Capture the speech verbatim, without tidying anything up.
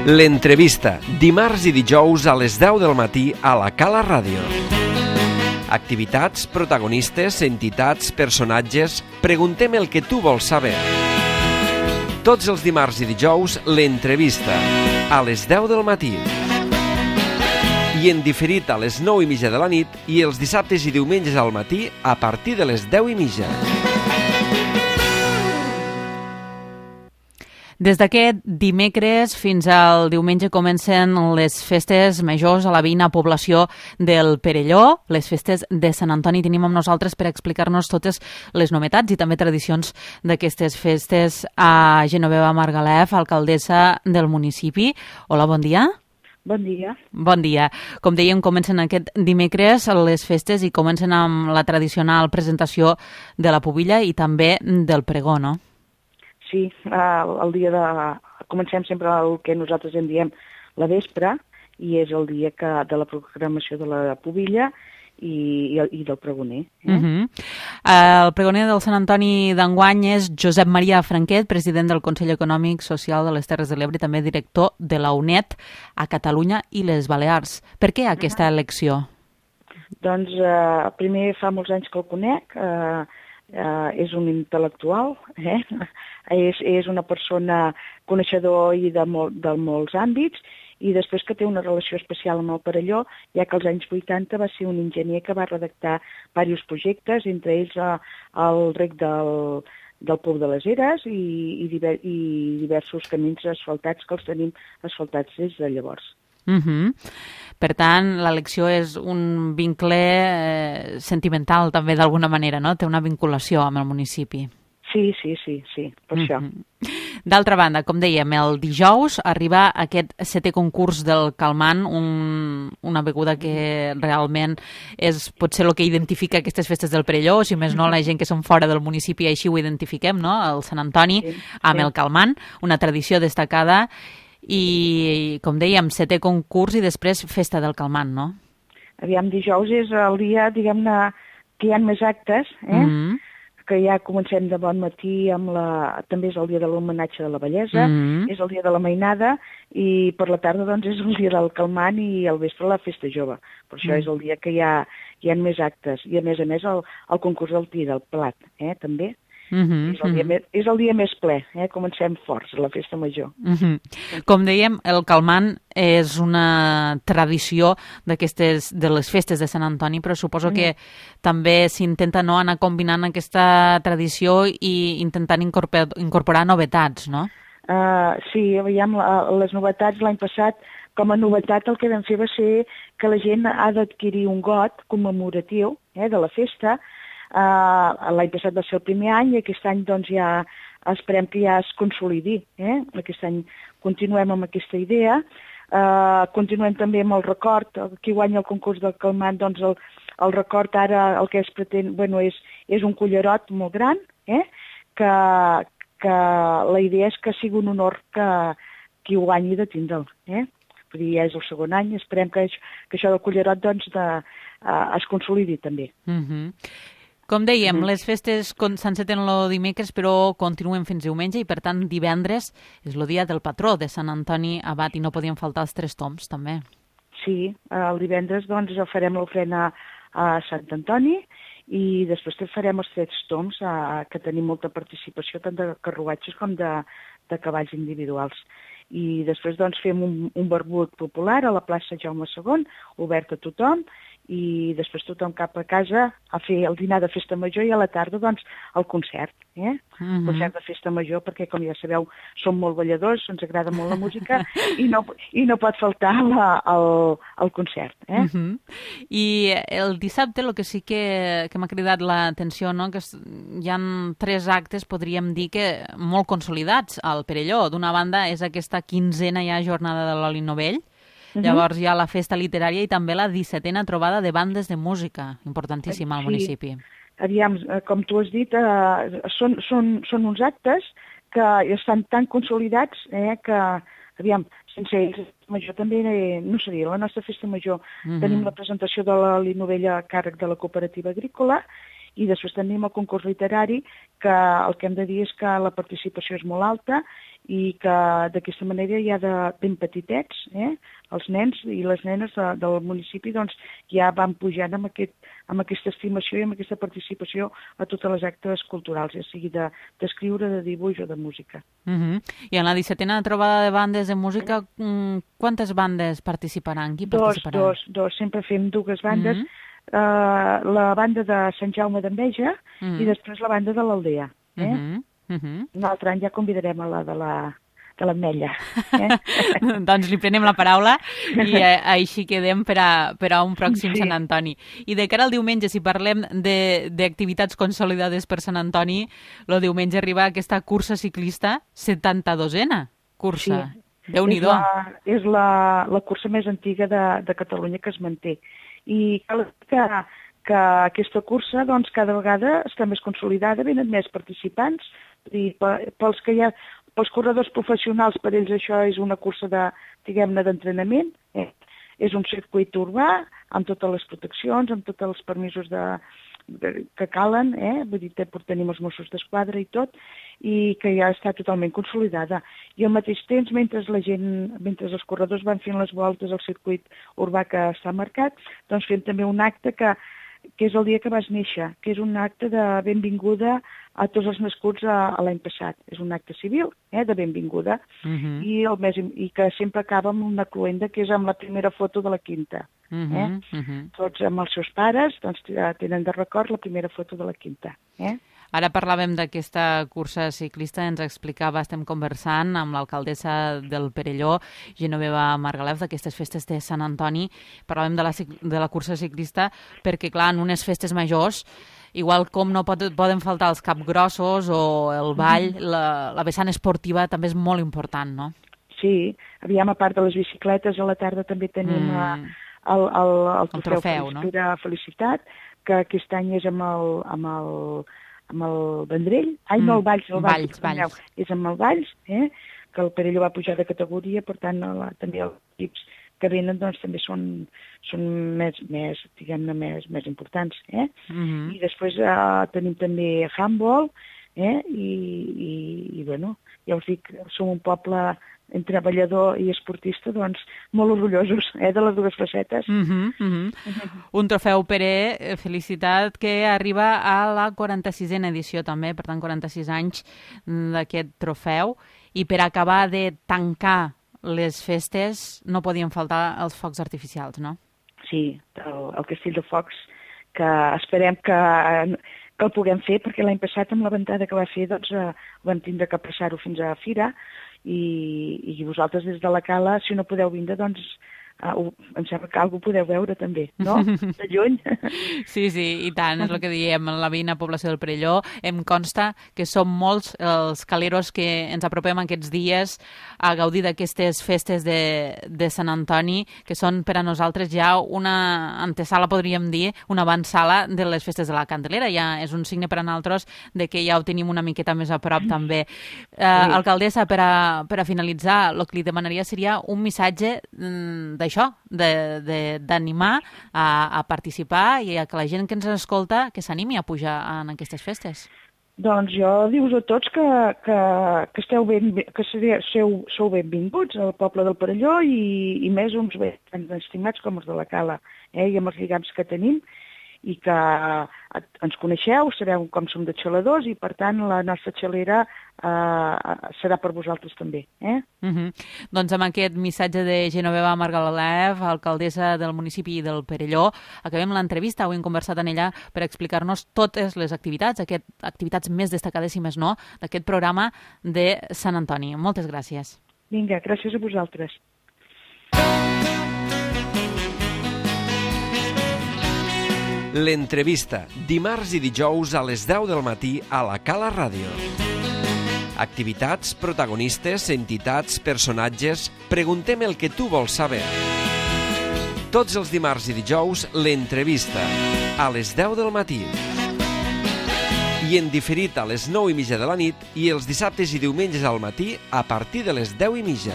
L'entrevista, dimarts i dijous a les deu del matí a la Cala Ràdio. Activitats, protagonistes, entitats, personatges... Preguntem el que tu vols saber. Tots els dimarts i dijous, l'entrevista, a les deu del matí. I en diferit a les nou i mitja de la nit i els dissabtes i diumenges al matí a partir de les deu i mitja. Des d'aquest dimecres fins al diumenge comencen les festes majors a la veïna població del Perelló, les festes de Sant Antoni. Tenim amb nosaltres per explicar-nos totes les novetats i també tradicions d'aquestes festes a Genoveva Margalef, alcaldessa del municipi. Hola, bon dia. Bon dia. Bon dia. Com dèiem, comencen aquest dimecres les festes i comencen amb la tradicional presentació de la pubilla i també del pregó, no? Sí, el, el dia de... Comencem sempre el que nosaltres en diem la vespre, i és el dia que, de la programació de la pubilla i, i, i del pregoner. Eh? Uh -huh. El pregoner del Sant Antoni d'enguany és Josep Maria Franquet, president del Consell Econòmic Social de les Terres de l'Ebre i també director de la U N E D a Catalunya i les Balears. Per què aquesta uh -huh. elecció? Doncs eh, primer fa molts anys que el conec, eh, eh, és un intel·lectual, eh? és, és una persona coneixedor i de, molt, de molts àmbits, i després que té una relació especial amb el Perelló, ja que als anys vuitanta va ser un enginyer que va redactar diversos projectes, entre ells eh, el rec del, del Pou de les Eres i, i, diver, i diversos camins asfaltats que els tenim asfaltats des de llavors. Uh -huh. Per tant, l'elecció és un vincle eh, sentimental també d'alguna manera, no? Té una vinculació amb el municipi. Sí, sí, sí, sí, per uh -huh. això. D'altra banda, com dèiem, el dijous arriba aquest setè concurs del Calmant, un, una beguda que realment és potser el que identifica aquestes festes del Perelló, o si més no, la gent que som fora del municipi així ho identifiquem, no? El Sant Antoni sí, amb sí. el Calmant, una tradició destacada. I, com dèiem, setè concurs i després festa del Calmant, no? Aviam, dijous és el dia, diguem-ne, que hi ha més actes, eh? Mm-hmm. Que ja comencem de bon matí amb la... També és el dia de l'homenatge de la bellesa, mm-hmm. és el dia de la mainada, i per la tarda, doncs, és el dia del Calmant i al vespre la festa jove. Per això mm. és el dia que hi ha, hi ha més actes. I, a més a més, el, el concurs del tir, del plat, eh? També. Uh-huh, és, el dia uh-huh. més, és el dia més ple, eh? Comencem forts, la festa major. Uh-huh. Com dèiem, el Calmant és una tradició d'aquestes de les festes de Sant Antoni, però suposo uh-huh. que també s'intenta no anar combinant aquesta tradició i intentant incorporar, incorporar novetats, no? Uh, sí, veiem les novetats l'any passat. Com a novetat el que vam fer va ser que la gent ha d'adquirir un got commemoratiu eh, de la festa. Uh, l'any passat va ser el primer any i aquest any doncs ja esperem que ja es consolidi. Eh? Aquest any continuem amb aquesta idea. Uh, continuem també amb el record. Qui guanya el concurs del Calmant, doncs el, el record ara el que es pretén, bueno, és, és un cullerot molt gran, eh? que, que la idea és que sigui un honor que qui guanyi de tindre'l. Eh? Perquè ja és el segon any, esperem que, que això del cullerot doncs, de, uh, es consolidi també. Mhm. Com dèiem, les festes s'enceten el dimecres, però continuen fins diumenge i, per tant, divendres és el dia del patró de Sant Antoni Abat i no podien faltar els tres tombs, també. Sí, el divendres doncs, farem l'ofrena a Sant Antoni i després farem els tres tombs, a, que tenim molta participació tant de carruatges com de, de cavalls individuals. I després doncs, fem un, un barbut popular a la plaça Jaume segon, obert a tothom, i després tothom cap a casa a fer el dinar de festa major i a la tarda doncs el concert, eh? Uh-huh. Concert de festa major perquè com ja sabeu som molt balladors, ens agrada molt la música i, no, i no pot faltar la, el, el concert, eh? Uh-huh. I el dissabte el que sí que, que m'ha cridat l'atenció, no? Que hi ha tres actes, podríem dir que molt consolidats al Perelló. D'una banda és aquesta quinzena ja jornada de l'Oli Novell. Llavors hi ha la festa literària i també la dissetena trobada de bandes de música, importantíssima al municipi. Sí. Aviam, com tu has dit, eh, són, són, són uns actes que estan tan consolidats eh, que, aviam, sense ells, major també eh, no seria la nostra festa major. Uh-huh. Tenim la presentació de la Linovella a càrrec de la cooperativa agrícola I després tenim el concurs literari, que el que hem de dir és que la participació és molt alta i que d'aquesta manera ja de ben petitets, eh, els nens i les nenes de, del municipi doncs, ja van pujant amb, aquest, amb aquesta estimació i amb aquesta participació a totes les actes culturals, ja sigui d'escriure, de, de dibuix o de música. Uh-huh. I en la dissetena trobada de bandes de música, quantes bandes participaran? Qui participarà? Dos, dos, dos. Sempre fem dues bandes. Uh-huh. Uh, la banda de Sant Jaume d'Enveja uh-huh. i després la banda de l'Aldea. Eh? Uh-huh. Uh-huh. Un altre any ja convidarem a la de la de l'Ametlla. Eh? Doncs li prenem la paraula i eh, així quedem per a, per a un pròxim sí. Sant Antoni. I de cara al diumenge, si parlem d'activitats consolidades per Sant Antoni, el diumenge arriba aquesta cursa ciclista, setanta-dosena cursa. Sí. Déu-n'hi-do. És, la, és la, la cursa més antiga de, de Catalunya que es manté. I cal que, que aquesta cursa doncs, cada vegada està més consolidada, venen més participants, i pels que hi ha, pels corredors professionals, per ells això és una cursa de, diguem-ne, d'entrenament, eh? És un circuit urbà, amb totes les proteccions, amb tots els permisos de, de, que calen, eh? Vull dir, tenim els Mossos d'Esquadra i tot, i que ja està totalment consolidada. I al mateix temps, mentre la gent, mentre els corredors van fent les voltes al circuit urbà que està marcat, doncs fem també un acte que, que és el dia que vas néixer, que és un acte de benvinguda a tots els nascuts a, a l'any passat. És un acte civil, eh, de benvinguda, uh-huh. i, el més, i que sempre acaba amb una cloenda, que és amb la primera foto de la quinta. Uh-huh. Eh? Uh-huh. Tots amb els seus pares doncs, tenen de record la primera foto de la quinta. Eh? Ara parlàvem d'aquesta cursa ciclista, ens explicava, estem conversant amb l'alcaldessa del Perelló, Genoveva Margalef, d'aquestes festes de Sant Antoni. Parlàvem de la, de la cursa ciclista perquè, clar, en unes festes majors, igual com no pot, poden faltar els capgrossos o el ball, la, la vessant esportiva també és molt important, no? Sí, aviam, a part de les bicicletes, a la tarda també tenim mm. el, el, el, el trofeu, el trofeu no? Felicitat, que aquest any és amb el... Amb el amb el Vendrell, ai, no, el Valls, el Valls, Valls, Valls. És amb el Valls, eh? Que el Perelló va pujar de categoria, per tant, la, també els equips que venen doncs, també són, són més, més diguem-ne, més, més importants. Eh? Uh-huh. I després eh, tenim també handball, eh? I, i, i, bueno, ja us dic, som un poble entre treballador i esportista, doncs, molt orgullosos eh, de les dues facetes. Uh-huh, uh-huh. Uh-huh. Un trofeu Pere, felicitat, que arriba a la quaranta-sisena edició també, per tant, quaranta-sis anys d'aquest trofeu. I per acabar de tancar les festes no podien faltar els focs artificials, no? Sí, el, el Castell de Focs, que esperem que, que el puguem fer, perquè l'any passat amb la ventada que va fer doncs, eh, vam tindre que passar-ho fins a Fira, i, i vosaltres des de la Cala, si no podeu vindre, doncs uh, em sembla que algú podeu veure també, no? De lluny. Sí, sí, i tant, és el que diem, la veïna població del Perelló. Em consta que som molts els caleros que ens apropem aquests dies a gaudir d'aquestes festes de, de Sant Antoni, que són per a nosaltres ja una antesala, podríem dir, una avançala de les festes de la Candelera. Ja és un signe per a nosaltres de que ja ho tenim una miqueta més a prop també. Eh, alcaldessa, per a, per a finalitzar, el que li demanaria seria un missatge de això, d'animar a, a participar i a que la gent que ens escolta que s'animi a pujar en aquestes festes. Doncs jo dius a tots que, que, que, esteu ben, que sou, sou benvinguts al poble del Perelló i, i més uns ben estimats com els de la Cala, eh, i amb els lligams que tenim, i que ens coneixeu, sabeu com som de xaladors i, per tant, la nostra xalera eh, serà per vosaltres també. Eh? Uh-huh. Doncs amb aquest missatge de Genoveva Margalef, alcaldessa del municipi del Perelló, acabem l'entrevista. Avui hem conversat amb ella per explicar-nos totes les activitats, aquest, activitats més destacades i més no, d'aquest programa de Sant Antoni. Moltes gràcies. Vinga, gràcies a vosaltres. L'entrevista, dimarts i dijous a les deu del matí a la Cala Ràdio. Activitats, protagonistes, entitats, personatges... Preguntem el que tu vols saber. Tots els dimarts i dijous, l'entrevista, a les deu del matí. I en diferit a les nou i mitja de la nit i els dissabtes i diumenges al matí a partir de les deu i mitja.